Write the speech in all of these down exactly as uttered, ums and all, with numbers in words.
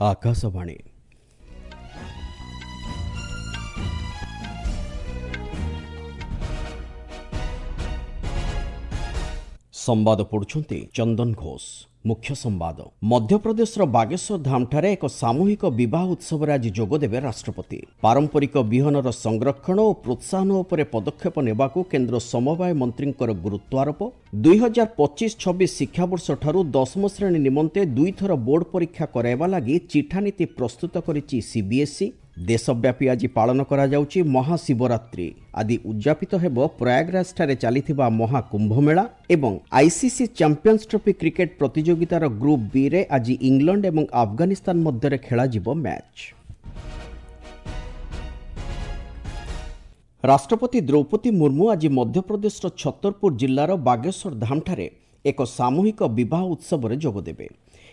ଆକାଶବାଣୀ। ସମ୍ବାଦ ପଢୁଛନ୍ତି ଚନ୍ଦନ ଘୋଷ। ମୁଖ୍ୟ ସମ୍ବାଦ। ମଧ୍ୟପ୍ରଦେଶର ବାଗେଶ୍ୱର ଧାମଠାରେ ଏକ ସାମୂହିକ ବିବାହ ଉତ୍ସବରେ ଆଜି ଯୋଗଦେବେ ରାଷ୍ଟ୍ରପତି। ପାରମ୍ପରିକ ବିହନର ସଂରକ୍ଷଣ ଓ ପ୍ରୋତ୍ସାହନ ଉପରେ ପଦକ୍ଷେପ ନେବାକୁ କେନ୍ଦ୍ର ସମବାୟ ମନ୍ତ୍ରୀଙ୍କର ଗୁରୁତ୍ୱାରୋପ। ଦୁଇ ହଜାର ପଚିଶ ଛବିଶ ଶିକ୍ଷାବର୍ଷଠାରୁ ଦଶମ ଶ୍ରେଣୀ ନିମନ୍ତେ ଦୁଇଥର ବୋର୍ଡ ପରୀକ୍ଷା କରାଇବା ଲାଗି ଚିଠାନୀତି ପ୍ରସ୍ତୁତ କରିଛି ସିବିଏସ୍ଇ। ଦେଶବ୍ୟାପୀ ଆଜି ପାଳନ କରାଯାଉଛି ମହାଶିବରାତ୍ରି। ଆଜି ଉଦ୍ଯାପିତ ହେବ ପ୍ରୟାଗରାଜଠାରେ ଚାଲିଥିବା ମହାକୁମ୍ଭମେଳା। ଏବଂ ଆଇସିସି ଚାମ୍ପିୟନ୍ସ ଟ୍ରଫି କ୍ରିକେଟ ପ୍ରତିଯୋଗିତାର ଗ୍ରୁପ୍ ବିରେ ଆଜି ଇଂଲଣ୍ଡ ଏବଂ ଆଫଗାନିସ୍ତାନ ମଧ୍ୟରେ ଖେଳାଯିବ ମ୍ୟାଚ୍। ରାଷ୍ଟ୍ରପତି ଦ୍ରୌପଦୀ ମୁର୍ମୁ ଆଜି ମଧ୍ୟପ୍ରଦେଶର ଛତରପୁର ଜିଲ୍ଲାର ବାଗେଶ୍ୱର ଧାମଠାରେ ଏକ ସାମୂହିକ ବିବାହ ଉତ୍ସବରେ ଯୋଗଦେବେ।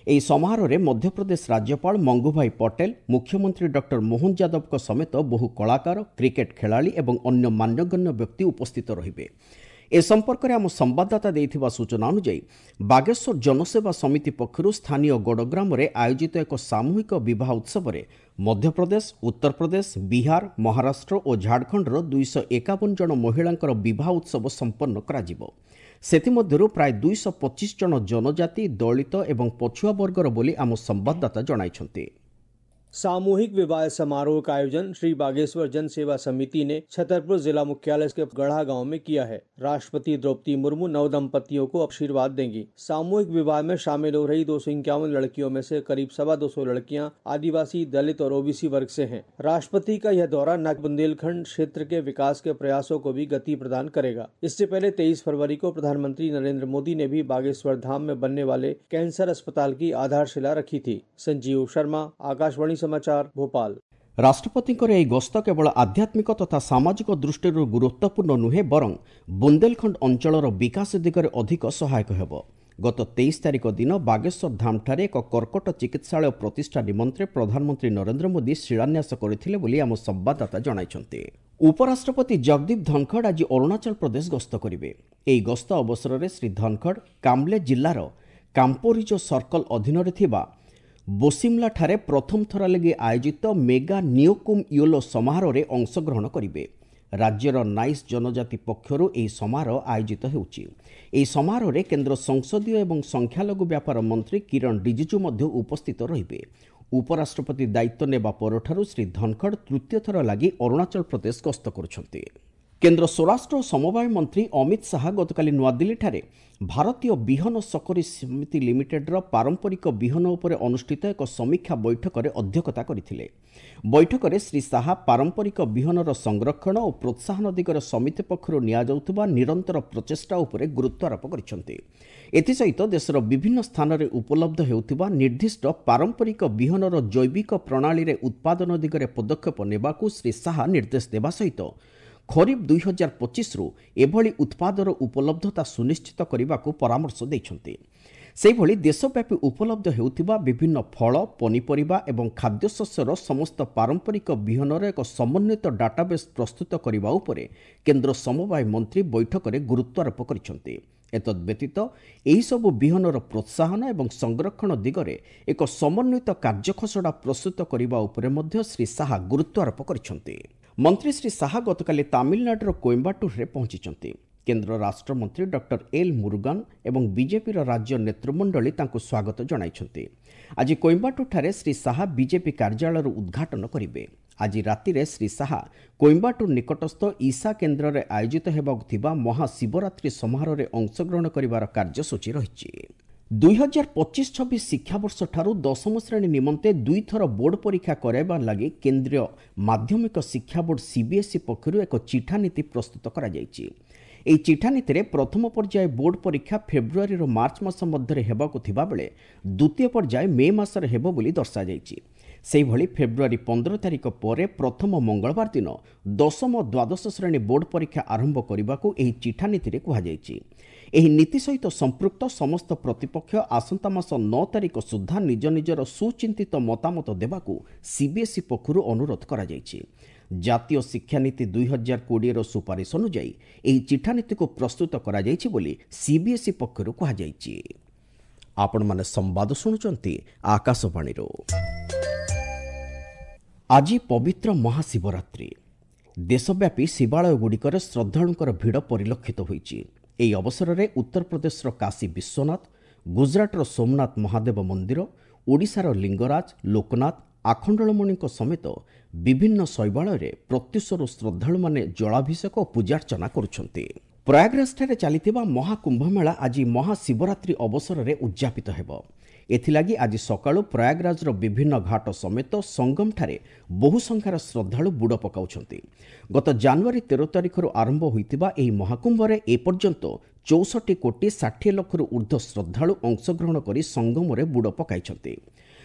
ଏହି ସମାରୋହରେ ମଧ୍ୟପ୍ରଦେଶ ରାଜ୍ୟପାଳ ମଙ୍ଗୁଭାଇ ପଟେଲ, ମୁଖ୍ୟମନ୍ତ୍ରୀ ଡକ୍ଟର ମୋହନ ଯାଦବଙ୍କ ସମେତ ବହୁ କଳାକାର, କ୍ରିକେଟ ଖେଳାଳି ଏବଂ ଅନ୍ୟ ମାନ୍ୟଗଣ୍ୟ ବ୍ୟକ୍ତି ଉପସ୍ଥିତ ରହିବେ। ଏ ସମ୍ପର୍କରେ ଆମ ସମ୍ବାଦଦାତା ଦେଇଥିବା ସୂଚନା ଅନୁଯାୟୀ, ବାଗେଶ୍ୱର ଜନସେବା ସମିତି ପକ୍ଷରୁ ସ୍ଥାନୀୟ ଗଡ଼ଗ୍ରାମରେ ଆୟୋଜିତ ଏକ ସାମୂହିକ ବିବାହ ଉତ୍ସବରେ ମଧ୍ୟପ୍ରଦେଶ, ଉତ୍ତରପ୍ରଦେଶ, ବିହାର, ମହାରାଷ୍ଟ୍ର ଓ ଝାଡ଼ଖଣ୍ଡର ଦୁଇଶହ ଏକାବନ ଜଣ ମହିଳାଙ୍କର ବିବାହ ଉତ୍ସବ ସମ୍ପନ୍ନ କରାଯିବ। ସେଥିମଧ୍ୟରୁ ପ୍ରାୟ ଦୁଇଶହ ପଚିଶ ଜଣ ଜନଜାତି, ଦଳିତ ଏବଂ ପଛୁଆ ବର୍ଗର ବୋଲି ଆମ ସମ୍ବାଦଦାତା ଜଣାଇଛନ୍ତି। सामूहिक विवाह समारोह का आयोजन श्री बागेश्वर जन सेवा समिति ने छतरपुर जिला मुख्यालय के गढ़ा गांव में किया है। राष्ट्रपति द्रौपदी मुर्मू नव दंपतियों को आशीर्वाद देंगी। सामूहिक विवाह में शामिल हो रही दो सौ इक्यावन लड़कियों में से करीब सवा दो सौ लड़कियां आदिवासी, दलित और ओबीसी वर्ग से हैं। राष्ट्रपति का यह दौरा न बुंदेलखंड क्षेत्र के विकास के प्रयासों को भी गति प्रदान करेगा। इससे पहले तेईस फरवरी को प्रधानमंत्री नरेंद्र मोदी ने भी बागेश्वर धाम में बनने वाले कैंसर अस्पताल की आधारशिला रखी थी। संजीव शर्मा, आकाशवाणी समाचार, भोपाल। ରାଷ୍ଟ୍ରପତିଙ୍କର ଏହି ଗସ୍ତ କେବଳ ଆଧ୍ୟାତ୍ମିକ ତଥା ସାମାଜିକ ଦୃଷ୍ଟିରୁ ଗୁରୁତ୍ୱପୂର୍ଣ୍ଣ ନୁହେଁ, ବରଂ ବୁନ୍ଦେଲଖଣ୍ଡ ଅଞ୍ଚଳର ବିକାଶ ଦିଗରେ ଅଧିକ ସହାୟକ ହେବ। ଗତ ତେଇଶ ତାରିଖ ଦିନ ବାଗେଶ୍ୱର ଧାମଠାରେ ଏକ କର୍କଟ ଚିକିତ୍ସାଳୟ ପ୍ରତିଷ୍ଠା ନିମନ୍ତେ ପ୍ରଧାନମନ୍ତ୍ରୀ ନରେନ୍ଦ୍ର ମୋଦି ଶିଳାନ୍ୟାସ କରିଥିଲେ ବୋଲି ଆମ ସମ୍ବାଦଦାତା ଜଣାଇଛନ୍ତି। ଉପରାଷ୍ଟ୍ରପତି ଜଗଦୀପ ଧନଖଡ଼ ଆଜି ଅରୁଣାଚଳ ପ୍ରଦେଶ ଗସ୍ତ କରିବେ। ଏହି ଗସ୍ତ ଅବସରରେ ଶ୍ରୀ ଧନଖଡ଼ କାମ୍ଲେ ଜିଲ୍ଲାର କାମ୍ପୋରିଜୋ ସର୍କଲ ଅଧୀନରେ ଥିବା ବୋସିମଲାଠାରେ ପ୍ରଥମ ଥର ଲାଗି ଆୟୋଜିତ ମେଗା ନିଓକୁମ୍ ୟୋଲୋ ସମାରୋହରେ ଅଂଶଗ୍ରହଣ କରିବେ। ରାଜ୍ୟର ନାଇସ୍ ଜନଜାତି ପକ୍ଷରୁ ଏହି ସମାରୋହ ଆୟୋଜିତ ହେଉଛି। ଏହି ସମାରୋହରେ କେନ୍ଦ୍ର ସଂସଦୀୟ ଏବଂ ସଂଖ୍ୟାଲଘୁ ବ୍ୟାପାର ମନ୍ତ୍ରୀ କିରଣ ରିଜିଜୁ ମଧ୍ୟ ଉପସ୍ଥିତ ରହିବେ। ଉପରାଷ୍ଟ୍ରପତି ଦାୟିତ୍ୱ ନେବା ପରଠାରୁ ଶ୍ରୀ ଧନଖଡ଼ ତୃତୀୟ ଥର ଲାଗି ଅରୁଣାଚଳ ପ୍ରଦେଶ ଗସ୍ତ କରୁଛନ୍ତି। କେନ୍ଦ୍ର ସ୍ୱରାଷ୍ଟ୍ର ଓ ସମବାୟ ମନ୍ତ୍ରୀ ଅମିତ ଶାହା ଗତକାଲି ନୂଆଦିଲ୍ଲୀଠାରେ ଭାରତୀୟ ବିହନ ସକରୀ ସମିତି ଲିମିଟେଡ୍ର ପାରମ୍ପରିକ ବିହନ ଉପରେ ଅନୁଷ୍ଠିତ ଏକ ସମୀକ୍ଷା ବୈଠକରେ ଅଧ୍ୟକ୍ଷତା କରିଥିଲେ। ବୈଠକରେ ଶ୍ରୀ ଶାହା ପାରମ୍ପରିକ ବିହନର ସଂରକ୍ଷଣ ଓ ପ୍ରୋତ୍ସାହନ ଦିଗରେ ସମିତି ପକ୍ଷରୁ ନିଆଯାଉଥିବା ନିରନ୍ତର ପ୍ରଚେଷ୍ଟା ଉପରେ ଗୁରୁତ୍ୱାରୋପ କରିଛନ୍ତି। ଏଥିସହିତ ଦେଶର ବିଭିନ୍ନ ସ୍ଥାନରେ ଉପଲବ୍ଧ ହେଉଥିବା ନିର୍ଦ୍ଦିଷ୍ଟ ପାରମ୍ପରିକ ବିହନର ଜୈବିକ ପ୍ରଣାଳୀରେ ଉତ୍ପାଦନ ଦିଗରେ ପଦକ୍ଷେପ ନେବାକୁ ଶ୍ରୀ ଶାହା ନିର୍ଦ୍ଦେଶ ଦେବା ସହିତ ଖରିଫ ଦୁଇ ହଜାର ପଚିଶରୁ ଏଭଳି ଉତ୍ପାଦର ଉପଲବ୍ଧତା ସୁନିଶ୍ଚିତ କରିବାକୁ ପରାମର୍ଶ ଦେଇଛନ୍ତି। ସେହିଭଳି ଦେଶବ୍ୟାପୀ ଉପଲବ୍ଧ ହେଉଥିବା ବିଭିନ୍ନ ଫଳ, ପନିପରିବା ଏବଂ ଖାଦ୍ୟଶସ୍ୟର ସମସ୍ତ ପାରମ୍ପରିକ ବିହନର ଏକ ସମନ୍ୱିତ ଡାଟାବେସ୍ ପ୍ରସ୍ତୁତ କରିବା ଉପରେ କେନ୍ଦ୍ର ସମବାୟ ମନ୍ତ୍ରୀ ବୈଠକରେ ଗୁରୁତ୍ୱାରୋପ କରିଛନ୍ତି। ଏତଦ୍ବ୍ୟତୀତ ଏହିସବୁ ବିହନର ପ୍ରୋତ୍ସାହନ ଏବଂ ସଂରକ୍ଷଣ ଦିଗରେ ଏକ ସମନ୍ୱିତ କାର୍ଯ୍ୟଖସଡ଼ା ପ୍ରସ୍ତୁତ କରିବା ଉପରେ ମଧ୍ୟ ଶ୍ରୀ ଶାହା ଗୁରୁତ୍ୱାରୋପ କରିଛନ୍ତି। ମନ୍ତ୍ରୀ ଶ୍ରୀ ଶାହା ଗତକାଲି ତାମିଲନାଡୁର କୋଏମ୍ବାଟୁରରେ ପହଞ୍ଚିଛନ୍ତି। କେନ୍ଦ୍ର ରାଷ୍ଟ୍ରମନ୍ତ୍ରୀ ଡକ୍ଟର ଏଲ୍ ମୁରୁଗାନ ଏବଂ ବିଜେପିର ରାଜ୍ୟ ନେତୃମଣ୍ଡଳୀ ତାଙ୍କୁ ସ୍ୱାଗତ ଜଣାଇଛନ୍ତି। ଆଜି କୋଏମ୍ବାଟୁରଠାରେ ଶ୍ରୀ ଶାହା ବିଜେପି କାର୍ଯ୍ୟାଳୟର ଉଦ୍ଘାଟନ କରିବେ। ଆଜି ରାତିରେ ଶ୍ରୀ ଶାହା କୋଏମ୍ବାଟୁର ନିକଟସ୍ଥ ଇଶା କେନ୍ଦ୍ରରେ ଆୟୋଜିତ ହେବାକୁ ଥିବା ମହାଶିବରାତ୍ରି ସମାରୋହରେ ଅଂଶଗ୍ରହଣ କରିବାର କାର୍ଯ୍ୟସୂଚୀ ରହିଛି। ଦୁଇ ହଜାର ପଚିଶ ଛବିଶ ଶିକ୍ଷାବର୍ଷଠାରୁ ଦଶମ ଶ୍ରେଣୀ ନିମନ୍ତେ ଦୁଇଥର ବୋର୍ଡ ପରୀକ୍ଷା କରାଇବା ଲାଗି କେନ୍ଦ୍ରୀୟ ମାଧ୍ୟମିକ ଶିକ୍ଷା ବୋର୍ଡ ସିବିଏସ୍ଇ ପକ୍ଷରୁ ଏକ ଚିଠାନୀତି ପ୍ରସ୍ତୁତ କରାଯାଇଛି। ଏହି ଚିଠାନୀତିରେ ପ୍ରଥମ ପର୍ଯ୍ୟାୟ ବୋର୍ଡ ପରୀକ୍ଷା ଫେବୃଆରୀରୁ ମାର୍ଚ୍ଚ ମାସ ମଧ୍ୟରେ ହେବାକୁ ଥିବାବେଳେ ଦ୍ୱିତୀୟ ପର୍ଯ୍ୟାୟ ମେ ମାସରେ ହେବ ବୋଲି ଦର୍ଶାଯାଇଛି। ସେହିଭଳି ଫେବୃଆରୀ ପନ୍ଦର ତାରିଖ ପରେ ପ୍ରଥମ ମଙ୍ଗଳବାର ଦିନ ଦଶମ ଦ୍ୱାଦଶ ଶ୍ରେଣୀ ବୋର୍ଡ ପରୀକ୍ଷା ଆରମ୍ଭ କରିବାକୁ ଏହି ଚିଠାନୀତିରେ କୁହାଯାଇଛି। ଏହି ନୀତି ସହିତ ସମ୍ପୃକ୍ତ ସମସ୍ତ ପ୍ରତିପକ୍ଷ ଆସନ୍ତା ମାସ ନଅ ତାରିଖ ସୁଦ୍ଧା ନିଜ ନିଜର ସୁଚିନ୍ତିତ ମତାମତ ଦେବାକୁ ସିବିଏସ୍ଇ ପକ୍ଷରୁ ଅନୁରୋଧ କରାଯାଇଛି। ଜାତୀୟ ଶିକ୍ଷାନୀତି ଦୁଇ ହଜାର କୋଡ଼ିଏର ସୁପାରିଶ ଅନୁଯାୟୀ ଏହି ଚିଠାନୀତିକୁ ପ୍ରସ୍ତୁତ କରାଯାଇଛି ବୋଲି ସିବିଏସ୍ଇ ପକ୍ଷରୁ କୁହାଯାଇଛି। ଆପଣମାନେ ସମ୍ବାଦ ଶୁଣୁଛନ୍ତି ଆକାଶବାଣୀରୁ। ଆଜି ପବିତ୍ର ମହାଶିବରାତ୍ରି। ଦେଶବ୍ୟାପୀ ଶିବାଳୟଗୁଡ଼ିକରେ ଶ୍ରଦ୍ଧାଳୁଙ୍କର ଭିଡ଼ ପରିଲକ୍ଷିତ ହୋଇଛି। ଏହି ଅବସରରେ ଉତ୍ତରପ୍ରଦେଶର କାଶୀ ବିଶ୍ୱନାଥ, ଗୁଜରାଟର ସୋମନାଥ ମହାଦେବ ମନ୍ଦିର, ଓଡ଼ିଶାର ଲିଙ୍ଗରାଜ, ଲୋକନାଥ, ଆଖଣ୍ଡଳମଣିଙ୍କ ସମେତ ବିଭିନ୍ନ ଶୈବାଳୟରେ ପ୍ରତ୍ୟୁଷରୁ ଶ୍ରଦ୍ଧାଳୁମାନେ ଜଳାଭିଷେକ ଓ ପୂଜାର୍ଚ୍ଚନା କରୁଛନ୍ତି। ପ୍ରୟାଗରାଜଠାରେ ଚାଲିଥିବା ମହାକୁମ୍ଭମେଳା ଆଜି ମହାଶିବରାତ୍ରି ଅବସରରେ ଉଦ୍ଯାପିତ ହେବ। ଏଥିଲାଗି ଆଜି ସକାଳୁ ପ୍ରୟାଗରାଜର ବିଭିନ୍ନ ଘାଟ ସମେତ ସଙ୍ଗମଠାରେ ବହୁ ସଂଖ୍ୟାର ଶ୍ରଦ୍ଧାଳୁ ବୁଡ଼ ପକାଉଛନ୍ତି। ଗତ ଜାନୁଆରୀ ତେର ତାରିଖରୁ ଆରମ୍ଭ ହୋଇଥିବା ଏହି ମହାକୁମ୍ଭରେ ଏପର୍ଯ୍ୟନ୍ତ ଚଉଷଠି କୋଟି ଷାଠିଏ ଲକ୍ଷରୁ ଉର୍ଦ୍ଧ୍ୱ ଶ୍ରଦ୍ଧାଳୁ ଅଂଶଗ୍ରହଣ କରି ସଙ୍ଗମରେ ବୁଡ଼ ପକାଇଛନ୍ତି।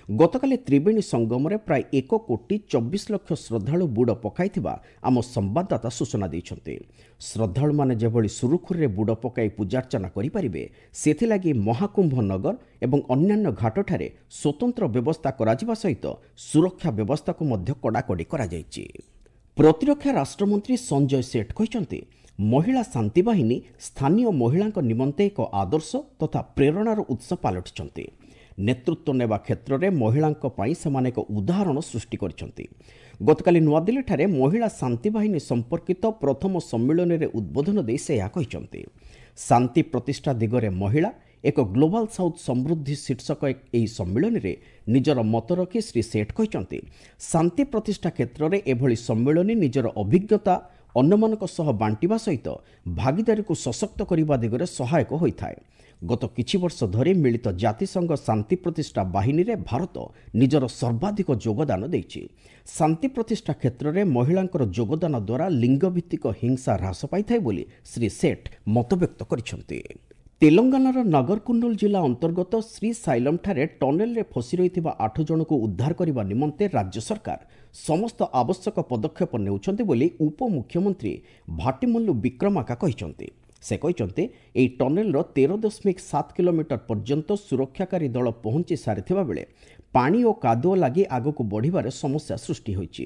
ଗତକାଲି ତ୍ରିବେଣୀ ସଙ୍ଗମରେ ପ୍ରାୟ ଏକ କୋଟି ଚବିଶ ଲକ୍ଷ ଶ୍ରଦ୍ଧାଳୁ ବୁଡ଼ ପକାଇଥିବା ଆମ ସମ୍ବାଦଦାତା ସୂଚନା ଦେଇଛନ୍ତି। ଶ୍ରଦ୍ଧାଳୁମାନେ ଯେଭଳି ସୁରୁଖୁରୁରେ ବୁଡ଼ ପକାଇ ପୂଜାର୍ଚ୍ଚନା କରିପାରିବେ ସେଥିଲାଗି ମହାକୁମ୍ଭ ନଗର ଏବଂ ଅନ୍ୟାନ୍ୟ ଘାଟଠାରେ ସ୍ୱତନ୍ତ୍ର ବ୍ୟବସ୍ଥା କରାଯିବା ସହିତ ସୁରକ୍ଷା ବ୍ୟବସ୍ଥାକୁ ମଧ୍ୟ କଡ଼ାକଡ଼ି କରାଯାଇଛି। ପ୍ରତିରକ୍ଷା ରାଷ୍ଟ୍ରମନ୍ତ୍ରୀ ସଞ୍ଜୟ ସେଠ କହିଛନ୍ତି, ମହିଳା ଶାନ୍ତିବାହିନୀ ସ୍ଥାନୀୟ ମହିଳାଙ୍କ ନିମନ୍ତେ ଏକ ଆଦର୍ଶ ତଥା ପ୍ରେରଣାର ଉତ୍ସ ପାଲଟିଛନ୍ତି। ନେତୃତ୍ୱ ନେବା କ୍ଷେତ୍ରରେ ମହିଳାଙ୍କ ପାଇଁ ସେମାନେ ଏକ ଉଦାହରଣ ସୃଷ୍ଟି କରିଛନ୍ତି। ଗତକାଲି ନୂଆଦିଲ୍ଲୀଠାରେ ମହିଳା ଶାନ୍ତିବାହିନୀ ସମ୍ପର୍କିତ ପ୍ରଥମ ସମ୍ମିଳନୀରେ ଉଦ୍ବୋଧନ ଦେଇ ସେ ଏହା କହିଛନ୍ତି। ଶାନ୍ତି ପ୍ରତିଷ୍ଠା ଦିଗରେ ମହିଳା ଏକ ଗ୍ଲୋବାଲ ସାଉଥ୍ ସମୃଦ୍ଧି ଶୀର୍ଷକ ଏହି ସମ୍ମିଳନୀରେ ନିଜର ମତ ରଖି ଶ୍ରୀ ସେଠ କହିଛନ୍ତି, ଶାନ୍ତି ପ୍ରତିଷ୍ଠା କ୍ଷେତ୍ରରେ ଏଭଳି ସମ୍ମିଳନୀ ନିଜର ଅଭିଜ୍ଞତା ଅନ୍ୟମାନଙ୍କ ସହ ବାଣ୍ଟିବା ସହିତ ଭାଗିଦାରୀକୁ ସଶକ୍ତ କରିବା ଦିଗରେ ସହାୟକ ହୋଇଥାଏ। ଗତ କିଛି ବର୍ଷ ଧରି ମିଳିତ ଜାତିସଂଘ ଶାନ୍ତି ପ୍ରତିଷ୍ଠା ବାହିନୀରେ ଭାରତ ନିଜର ସର୍ବାଧିକ ଯୋଗଦାନ ଦେଇଛି। ଶାନ୍ତି ପ୍ରତିଷ୍ଠା କ୍ଷେତ୍ରରେ ମହିଳାଙ୍କର ଯୋଗଦାନ ଦ୍ୱାରା ଲିଙ୍ଗଭିତ୍ତିକ ହିଂସା ହ୍ରାସ ପାଇଥାଏ ବୋଲି ଶ୍ରୀ ସେଠ ମତବ୍ୟକ୍ତ କରିଛନ୍ତି। ତେଲଙ୍ଗାନାର ନଗରକୁର୍ଣ୍ଣୁଲ ଜିଲ୍ଲା ଅନ୍ତର୍ଗତ ଶ୍ରୀସାଇଲମଠାରେ ଟନେଲରେ ଫସି ରହିଥିବା ଆଠ ଜଣଙ୍କୁ ଉଦ୍ଧାର କରିବା ନିମନ୍ତେ ରାଜ୍ୟ ସରକାର ସମସ୍ତ ଆବଶ୍ୟକ ପଦକ୍ଷେପ ନେଉଛନ୍ତି ବୋଲି ଉପମୁଖ୍ୟମନ୍ତ୍ରୀ ଭାଟିମଲ୍ଲୁ ବିକ୍ରମାକା କହିଛନ୍ତି। ସେ କହିଛନ୍ତି, ଏହି ଟନେଲର ତେର ଦଶମିକ ସାତ କିଲୋମିଟର ପର୍ଯ୍ୟନ୍ତ ସୁରକ୍ଷାକାରୀ ଦଳ ପହଞ୍ଚି ସାରିଥିବା ବେଳେ ପାଣି ଓ କାଦୁଅ ଲାଗି ଆଗକୁ ବଢ଼ିବାରେ ସମସ୍ୟା ସୃଷ୍ଟି ହୋଇଛି।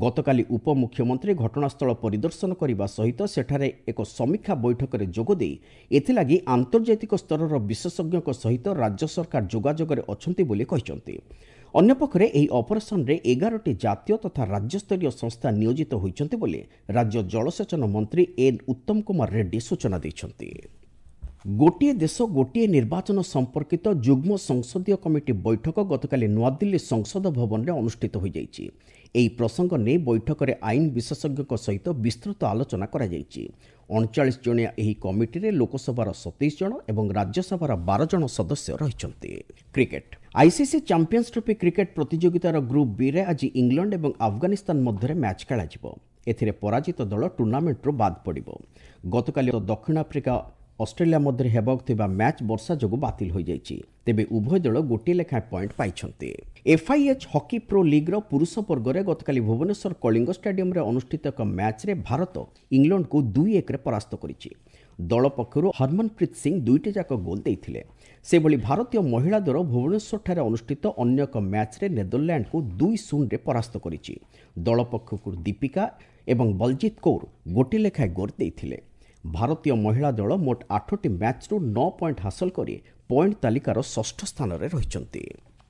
ଗତକାଲି ଉପମୁଖ୍ୟମନ୍ତ୍ରୀ ଘଟଣାସ୍ଥଳ ପରିଦର୍ଶନ କରିବା ସହିତ ସେଠାରେ ଏକ ସମୀକ୍ଷା ବୈଠକରେ ଯୋଗଦେଇ ଏଥିଲାଗି ଆନ୍ତର୍ଜାତିକ ସ୍ତରର ବିଶେଷଜ୍ଞଙ୍କ ସହିତ ରାଜ୍ୟ ସରକାର ଯୋଗାଯୋଗରେ ଅଛନ୍ତି ବୋଲି କହିଛନ୍ତି। ଅନ୍ୟପକ୍ଷରେ ଏହି ଅପରେସନରେ ଏଗାରଟି ଜାତୀୟ ତଥା ରାଜ୍ୟସ୍ତରୀୟ ସଂସ୍ଥା ନିୟୋଜିତ ହୋଇଛନ୍ତି ବୋଲି ରାଜ୍ୟ ଜଳସେଚନ ମନ୍ତ୍ରୀ ଏନ୍ ଉତ୍ତମ କୁମାର ରେଡ୍ଡି ସୂଚନା ଦେଇଛନ୍ତି। ଗୋଟିଏ ଦେଶ ଗୋଟିଏ ନିର୍ବାଚନ ସମ୍ପର୍କିତ ଯୁଗ୍ମ ସଂସଦୀୟ କମିଟି ବୈଠକ ଗତକାଲି ନୂଆଦିଲ୍ଲୀ ସଂସଦ ଭବନରେ ଅନୁଷ୍ଠିତ ହୋଇଯାଇଛି। ଏହି ପ୍ରସଙ୍ଗ ନେଇ ବୈଠକରେ ଆଇନ ବିଶେଷଜ୍ଞଙ୍କ ସହିତ ବିସ୍ତୃତ ଆଲୋଚନା କରାଯାଇଛି। ଅଣଚାଳିଶ ଜଣିଆ ଏହି କମିଟିରେ ଲୋକସଭାର ସତେଇଶ ଜଣ ଏବଂ ରାଜ୍ୟସଭାର ବାର ଜଣ ସଦସ୍ୟ ରହିଛନ୍ତି। Cricket ICC champions trophy cricket ପ୍ରତିଯୋଗିତାର ଗ୍ରୁପ୍ ବିରେ ଆଜି ଇଂଲଣ୍ଡ ଏବଂ ଆଫଗାନିସ୍ତାନ ମଧ୍ୟରେ ମ୍ୟାଚ୍ ଖେଳାଯିବ। ଏଥିରେ ପରାଜିତ ଦଳ ଟୁର୍ଣ୍ଣାମେଣ୍ଟରୁ ବାଦ୍ ପଡ଼ିବ। ଗତକାଲି ଦକ୍ଷିଣ ଆଫ୍ରିକା ଅଷ୍ଟ୍ରେଲିଆ ମଧ୍ୟରେ ହେବାକୁ ଥିବା ମ୍ୟାଚ୍ ବର୍ଷା ଯୋଗୁଁ ବାତିଲ ହୋଇଯାଇଛି। ତେବେ ଉଭୟ ଦଳ ଗୋଟିଏ ଲେଖାଏଁ ପଏଣ୍ଟ ପାଇଛନ୍ତି। ଏଫ୍ଆଇଏଚ୍ ହକି ପ୍ରୋ ଲିଗ୍ର ପୁରୁଷ ବର୍ଗରେ ଗତକାଲି ଭୁବନେଶ୍ୱର କଳିଙ୍ଗ ଷ୍ଟାଡିୟମରେ ଅନୁଷ୍ଠିତ ଏକ ମ୍ୟାଚ୍ରେ ଭାରତ ଇଂଲଣ୍ଡକୁ ଦୁଇ ଏକରେ ପରାସ୍ତ କରିଛି। ଦଳ ପକ୍ଷରୁ ହରମନପ୍ରୀତ ସିଂ ଦୁଇଟି ଯାକ ଗୋଲ୍ ଦେଇଥିଲେ। ସେହିଭଳି ଭାରତୀୟ ମହିଳା ଦଳ ଭୁବନେଶ୍ୱରଠାରେ ଅନୁଷ୍ଠିତ ଅନ୍ୟ ଏକ ମ୍ୟାଚ୍ରେ ନେଦରଲ୍ୟାଣ୍ଡକୁ ଦୁଇ ଶୂନରେ ପରାସ୍ତ କରିଛି। ଦଳ ପକ୍ଷରୁ ଦୀପିକା ଏବଂ ବଲଜିତ କୌର ଗୋଟିଏ ଲେଖାଏଁ ଗୋଲ୍ ଦେଇଥିଲେ। ଭାରତୀୟ ମହିଳା ଦଳ ମୋଟ ଆଠଟି ମ୍ୟାଚ୍ରୁ ନଅ ପଏଣ୍ଟ ହାସଲ କରି ପଏଣ୍ଟ ତାଲିକାର ଷଷ୍ଠ ସ୍ଥାନରେ ରହିଛନ୍ତି।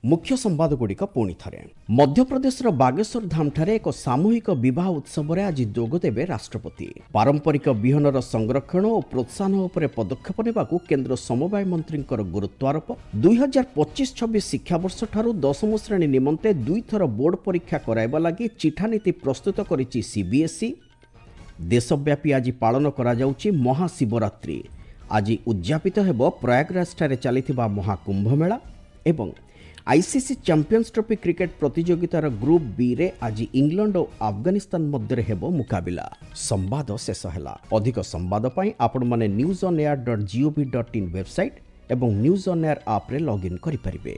ମୁଖ୍ୟ ସମ୍ବାଦଗୁଡ଼ିକ ପୁଣି ଥରେ। ମଧ୍ୟପ୍ରଦେଶର ବାଗେଶ୍ୱର ଧାମଠାରେ ଏକ ସାମୂହିକ ବିବାହ ଉତ୍ସବରେ ଆଜି ଯୋଗଦେବେ ରାଷ୍ଟ୍ରପତି। ପାରମ୍ପରିକ ବିହନର ସଂରକ୍ଷଣ ଓ ପ୍ରୋତ୍ସାହନ ଉପରେ ପଦକ୍ଷେପ ନେବାକୁ କେନ୍ଦ୍ର ସମବାୟ ମନ୍ତ୍ରୀଙ୍କର ଗୁରୁତ୍ୱାରୋପ। ଦୁଇ ହଜାର ପଚିଶ ଛବିଶ ଶିକ୍ଷାବର୍ଷଠାରୁ ଦଶମ ଶ୍ରେଣୀ ନିମନ୍ତେ ଦୁଇଥର ବୋର୍ଡ ପରୀକ୍ଷା କରାଇବା ଲାଗି ଚିଠାନୀତି ପ୍ରସ୍ତୁତ କରିଛି ସିବିଏସ୍ଇ। ଦେଶବ୍ୟାପୀ ଆଜି ପାଳନ କରାଯାଉଛି ମହାଶିବରାତ୍ରି। ଆଜି ଉଦ୍ଯାପିତ ହେବ ପ୍ରୟାଗରାଜଠାରେ ଚାଲିଥିବା ମହାକୁମ୍ଭମେଳା। ଏବଂ ଆଇସିସି ଚାମ୍ପିୟନ୍ସ ଟ୍ରଫି କ୍ରିକେଟ ପ୍ରତିଯୋଗିତାର ଗ୍ରୁପ୍ ବିରେ ଆଜି ଇଂଲଣ୍ଡ ଓ ଆଫଗାନିସ୍ତାନ ମଧ୍ୟରେ ହେବ ମୁକାବିଲା। ସମ୍ବାଦ ଶେଷ ହେଲା। ଅଧିକ ସମ୍ବାଦ ପାଇଁ ଆପଣମାନେ news on air dot gov dot in website ଏବଂ ନ୍ୟୁଜ୍ ଅନ୍ ଏୟାର ଆପ୍ରେ ଲଗ୍ଇନ୍ କରିପାରିବେ।